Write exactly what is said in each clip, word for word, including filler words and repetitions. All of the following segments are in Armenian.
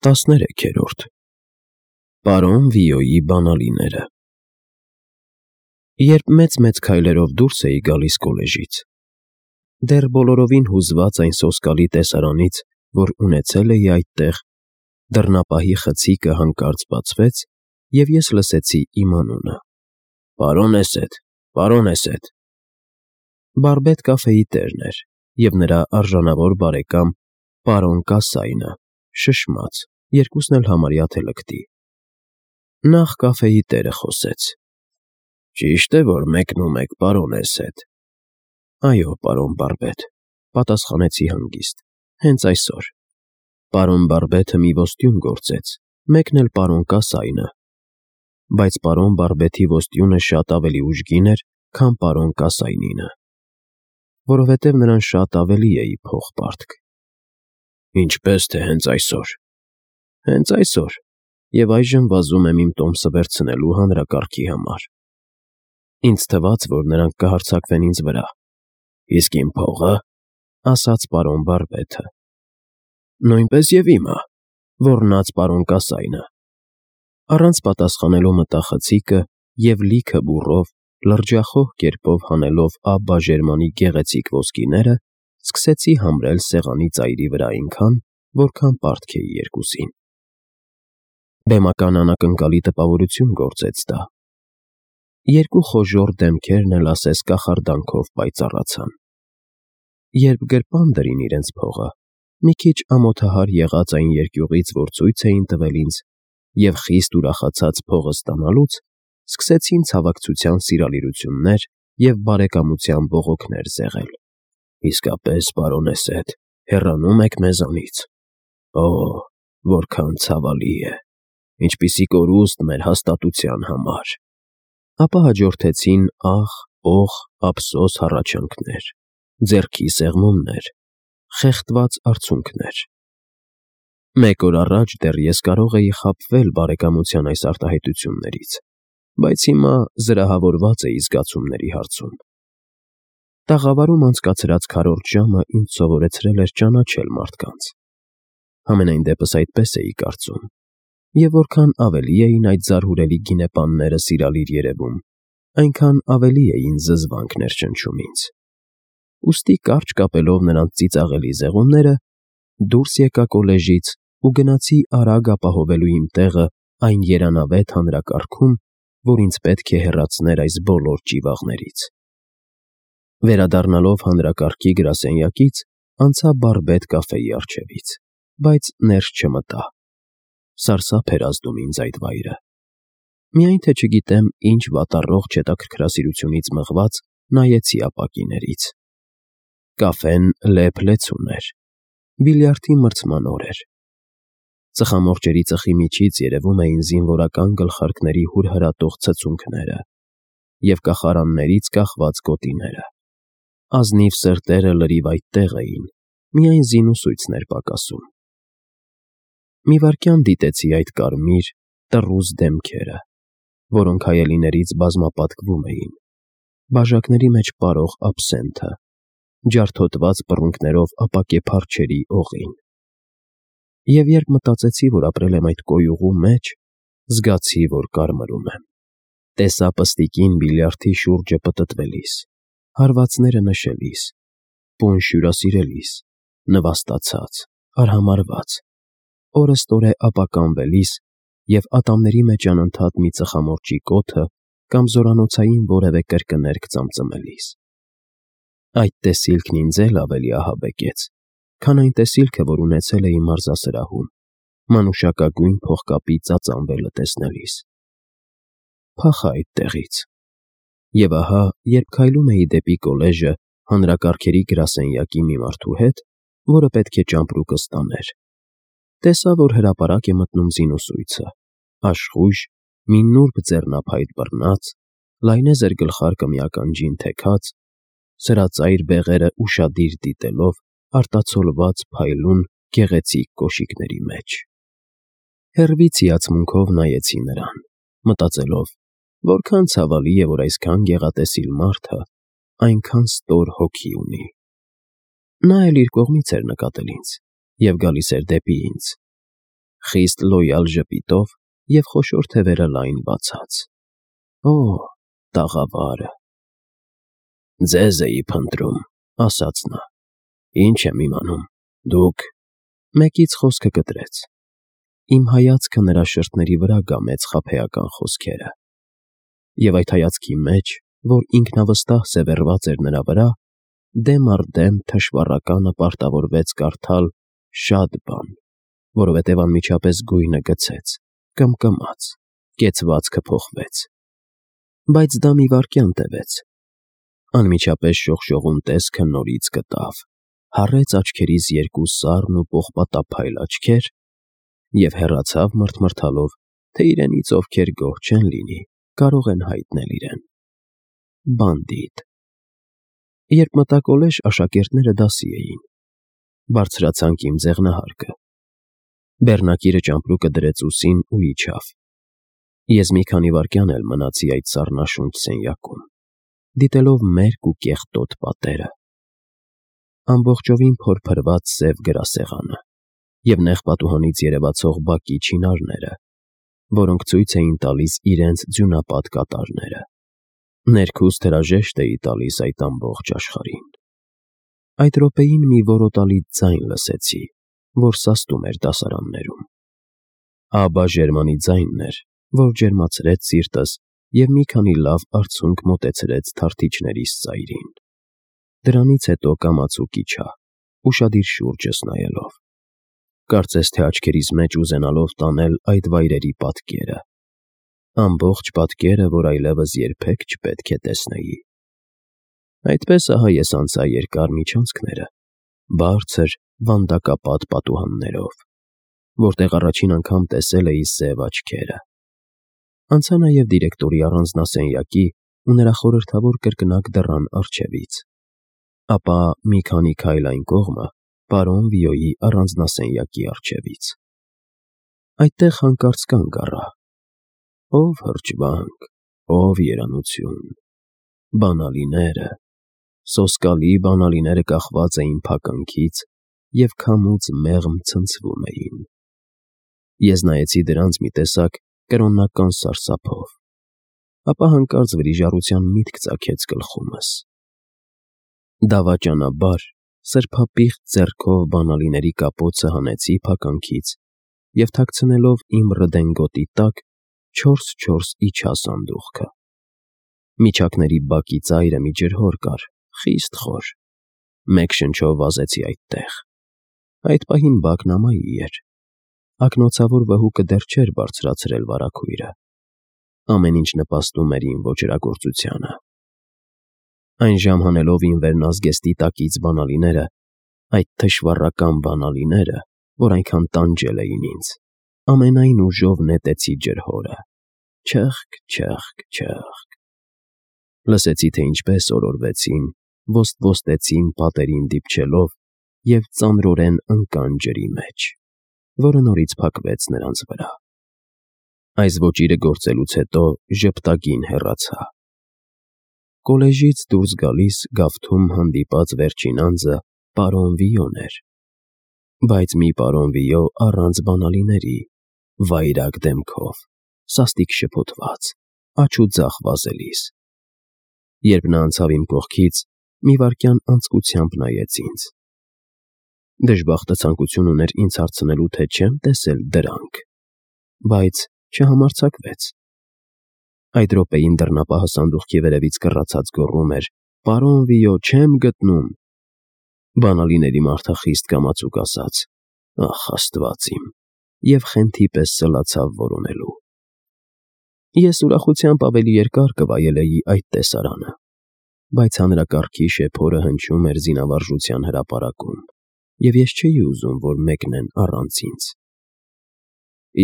տասներեքերորդ Պարոն Վիոյի բանալիները Երբ մեծ-մեծ քայլերով դուրս էի գալիս կոլեժից, դեռ բոլորովին հուզված այն սոսկալի տեսարանից, որ ունեցել էի այդտեղ, դռնապահի խցիկը հանկարծ բացվեց, և ես լսեցի իմ անունը. «Պարոն Էսեդ, պարոն Էսեդ»։ Բարբետ կաֆեի տերն էր, և նրա արժանավոր բարեկամ պարոն Կասայնը, շշմած, երկուսն էլ համարյա թե լկտի։ Նախ կաֆեի տերը խոսեց. «Ճիշտ է, որ մեկնում եք, պարոն Էսեդ»։ «Այո, պարոն Բարբետ», պատասխանեցի հանգիստ, «հենց այսօր»։ Պարոն Բարբեթը մի ոստյուն գործեց, մեկն էլ պարոն Կասայնը, բայց պարոն Բարբեթի ոստյունը շատ ավելի ուժգին էր, քան պարոն Կասայնինը, որովհետև նրան շատ ավելի էի փող պարտք։ «Ինչպե՞ս թե հենց այսօր»։ «Հենց այսօր, և այժմ վազում եմ իմ տոմսը վերցնելու հանրակարգի համար»։ Ինձ թվաց, որ նրանք կհարձակվեն ինձ վրա։ «Իսկ իմ փողը»։ ասաց պարոն Բարբեթը։ «Նույնպես և իմը», ոռնաց պարոն Կասայնը։ Առանց պատասխանելու մտա խցիկը և լիքը բուռով, լրջախոհ կերպով հանելով Աբբա Ժերմանի գեղեցիկ ոսկիները, սկսեցի համրել սեղանի ծայրի վրա այնքան, որքան պարտք էի երկուսին։ Բեմական անակնկալի տպավորություն գործեց դա։ Երկու խոժոռ դեմքերն էլ ասես կախարդանքով պայծառացան։ Երբ գրպան դրին իրենց փողը, մի քիչ ամոթահար եղած այն երկյուղից, որ ցույց էին տվել ինձ, և խիստ ուրախացած փողը ստանալուց, սկսեցին ցավակցության սիրալիրություններ և բարեկամության բողոքներ զեղել։ «Իսկապես, պարոն Էսեդ, հեռանում եք մեզանից։ Օ՜, որքան ցավալի է, ինչպիսի կորուստ մեր հաստատության համար»։ Ապա հաջորդեցին ախ, ոխ, ափսոս հառաչանքներ, ձեռքի սեղմումներ, խեղդված արցունքներ։ Մեկ օր առաջ դեռ ես կարող էի խաբվել բարեկամության այս արտահայտություններից, բայց հիմա զրահավորված էի զգացումների հարցում։ Տաղավարում անցկացրած քառորդ ժամը ինձ սովորեցրել էր ճանաչել մարդկանց։ Համենայն դեպս այդպես էի կարծում, և որքան ավելի էին այդ զարհուրելի գինեպանները սիրալիր երևում, այնքան ավելի էին զզվանք ներշնչում ինձ։ Ուստի կարճ կապելով նրանց ծիծաղելի զեղումները, դուրս եկա կոլեժից ու գնացի արագ ապահովելու իմ տեղը այն երանավետ հանրակարգում, որ ինձ պետք է հեռացներ այս բոլոր ճիվաղներից։ Վերադառնալով հանրակարգի գրասենյակից, անցա Բարբետ կաֆեի առջևից, բայց ներս չմտա։ Սարսափ էր ազդում ինձ այդ վայրը։ Միայն թե չգիտեմ ինչ վատառողջ հետաքրքրասիրությունից մղված նայեցի ապակիներից։ Կաֆեն լեփ-լեցուն էր։ Բիլիարդի մրցման օր էր։ Ծխամորճերի ծխի միջից երևում էին զինվորական գլխարկների հուրհրատող ցցունքները և կախարաններից կախված գոտիները։ Ազնիվ սրտերը լրիվ այդտեղ էին, միայն զինուսույցն էր պակասում։ Մի վայրկյան դիտեցի այդ կարմիր, տռուզ դեմքերը, որոնք հայելիներից բազմապատկվում էին, բաժակների մեջ պարող աբսենթը, ջարդոտված պռունգներով ապակե փարչերի օղին։ Եվ երբ մտածեցի, որ ապրել եմ այդ կոյուղու մեջ, զգացի, որ կարմրում եմ։ Տեսա պստիկին բիլիարդի շուրջը պտտվելիս, հարվածները նշելիս, պունջ հյուրասիրելիս, նվաստացած, արհամարհված, օրըստօրե ապականվելիս և ատամների մեջ անընդհատ մի ծխամորճի կոթը կամ զորանոցային որևէ կրկներգ ծամծմելիս։ Այդ տեսիլքն ինձ էլ ավելի ահաբեկեց, քան այն տեսիլքը, որ ունեցել էի մարզասրահում, մանուշակագույն փողկապի ծածանվելը տեսնելիս։ Փախա այդտեղից։ Եվ ահա, երբ քայլում էի դեպի կոլեժը հանրակարգերի գրասենյակի մի մարդու հետ, որը պետք է ճամպրուկը ստաներ, տեսա, որ հրապարակ է մտնում զինուսույցը, աշխույժ, մի նուրբ ձեռնափայտ բռնած, լայնեզր գլխարկը մի ականջին թեքած, սրածայր բեղերը ուշադիր դիտելով արտացոլված փայլուն, գեղեցիկ կոշիկների մեջ։ Հեռվից հիացմունքով նայեցի նրան, մտածելով, որքան ցավալի է, որ այսքան գեղատեսիլ մարդը այնքան ստոր հոգի ունի։ Նա էլ իր կողմից էր նկատել ինձ և գալիս էր դեպի ինձ։ խիստ լոյալ ժպիտով և խոշոր թևերը լայն բացած։ Օ՜, տաղավարը… Ձեզ էի փնտրում, ասաց նա, ինչ եմ իմանում, դուք… Մեկից խոսքը կտրեց։ Իմ հայացքը նրա շրթների վրա գամեց խաբեական խոսքերը։ Եվ այդ հայացքի մեջ, որ ինքնավստահ սևեռված էր նրա վրա, դեմ առ դեմ թշվառականը պարտավորվեց կարդալ շատ բան, որովհետև անմիջապես գույնը գցեց, կմկմաց, կեցվածքը փոխվեց։ Բայց դա մի վայրկյան տևեց։ Անմիջապես շողշողուն տեսքը նորից գտավ, հառեց աչքերիս երկու սառն ու պողպատափայլ աչքեր և հեռացավ մռթմռթալով, թե իրենից ովքեր գոհ չեն լինի, կարող են հայտնել իրեն… Բանդիտ… Երբ մտա կոլեժ, աշակերտները դասի էին։ Բարձրացանք իմ ձեղնահարկը։ Բեռնակիրը ճամպրուկը դրեց ուսին ու իջավ։ Ես մի քանի վայրկյան էլ մնացի այդ սառնաշունչ սենյակում, դիտելով մերկ ու կեղտոտ պատերը, ամբողջովին փորփրված սև գրասեղանը և նեղ պատուհանից երևացող բակի չինարները, որոնք ցույց էին տալիս իրենց ձյունապատ կատարները։ Ներքուստ հրաժեշտ էի տալիս այդ ամբողջ աշխարհին։ Այդ րոպեին մի որոտալի ձայն լսեցի, որ սաստում էր դասարաններում։ Աբա Ժերմանի ձայնն էր, որ ջերմացրեց սիրտս և մի քանի լավ արցունք մոտեցրեց թարթիչներիս ծայրին։ Դրանից հետո կամացուկ իջա, ուշադիր շուրջս նայելով, կարծես թե աչքերիս մեջ ուզենալով տանել այդ վայրերի պատկերը, ամբողջ պատկերը, որ այլևս երբեք չպետք է տեսնեի։ Այդպես ահա ես անցա երկար միջանցքները, բարձր, վանդակապատ պատուհաններով, որտեղ առաջին անգամ տեսել էի սև աչքերը։ Անցա նաև դիրեկտորի առանձնասենյակի ու նրա խորհրդավոր կրկնակ դռան առջևից, ապա մի քանի քայլ այն կողմը պարոն Վիոյի առանձնասենյակի առջևից։ Այդտեղ հանկարծ կանգ առա։ Ո՜վ հրճվանք, ո՜վ երանություն… Բանալիները… Սոսկալի բանալիները կախված էին փականքից և քամուց մեղմ ցնցվում էին։ Ես նայեցի դրանց մի տեսակ կրոնական սարսափով, ապա հանկարծ վրիժառության միտք ծագեց գլխումս։ Դավաճանաբար սրբապիղծ ձեռքով բանալիների կապոցը հանեցի փականքից և թաքցնելով իմ ռդենգոտի տակ չորս֊չորս իջա սանդուղքը։ Միջակների բակի ծայրը մի ջրհոր կար, խիստ խոր։ Մեկ շնչով վազեցի այդտեղ։ Այդ պահին բակն ամայի էր։ Ակնոցավոր վհուկը դեռ չէր բարձրացրել վարագույրը։ Ամեն ինչ նպաստում էր իմ ոճրագործությանը։ Այն ժամ հանելով իմ վերնազգեստի տակից բանալիները, այդ թշվառական բանալիները, որ այնքան տանջել էին ինձ, ամենայն ուժով նետեցի ջրհորը… Չըխկ, չըխկ, չըխկ… Լսեցի, թե ինչպես օրորվեցին, ոստ֊ոստեցին պատերին դիպչելով և ծանրորեն ընկան ջրի մեջ, որը նորից փակվեց նրանց վրա։ Այս ոճիրը գործելուց հետո ժպտագին հեռացա։ Կոլեժից դուրս գալիս գավթում հանդիպած վերջին անձը պարոն Վիոն էր, բայց մի պարոն Վիո առանց բանալիների, վայրագ դեմքով, սաստիկ շփոթված, աջ ու ձախ վազելիս։ Երբ նա անցավ իմ կողքից, մի վայրկյան անձկությամբ նայեց ինձ։ Դժբախտը ցանկություն ուներ ինձ հարցնելու, թե չեմ տեսել դրանք, բայց չհամարձակվեց։ Այդ րոպեին դռնապահը սանդուղքի վերևից կռացած գոռում էր. «Պարոն Վիո, չեմ գտնում»։ Բանալիների մարդախիստ կամացուկ ասաց. «Ախ, Աստված իմ», և խենթի պես սլացավ որոնելու։ Ես ուրախությամբ ավելի երկար կվայելեի այդ տեսարանը, բայց հանրակարգի շեփորը հնչում էր զինավարժության հրապարակում, և ես չէի ուզում, որ մեկնեն առանց ինձ։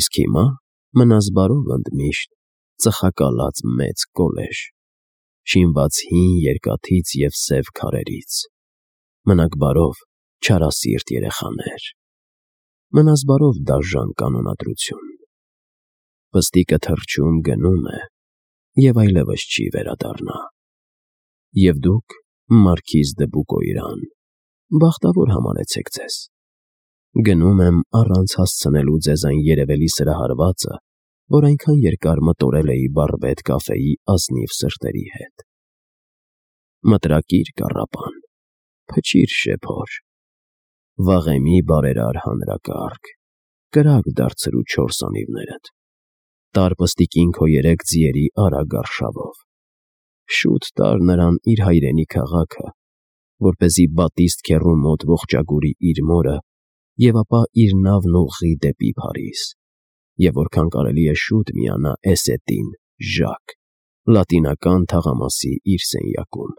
Իսկ հիմա մնաս բարով ընդմիշտ ծխակալած մեծ կոլեժ, շինված հին երկաթից և սև քարերից, մնաք բարով չարասիրտ երեխաներ, մնաս բարով դաժան կանոնադրություն։ Պստիկը թռչում գնում է և այլևս չի վերադառնա։ Եվ դուք, Մարքիզ դը Բուկոյրան, բախտավոր համարեցեք ձեզ։ Գնում եմ առանց հասցնելու ձեզ այն երևելի սրահարվածը, որ այնքան երկար մտորել էի բարբետ կաֆեի ազնիվ սրտերի հետ։ Մտրակիր կառապան, փչիր շեփոր, վաղեմի բարերար հանրակարգ, կրակ դարձրու չորս անիվներդ, տար պստիկին քո երեք ձիերի արագ արշավով, շուտ տար նրան իր հայրենի քաղաքը, որպեսզի Բատիստ քեռու մոտ ողջագուրի իր մորը և ապա իր նավն ուղղի դեպի Փարիզ, և որքան կարելի է շուտ միանա Էսետին, Ժակ, լատինական թաղամասի իր սենյակում։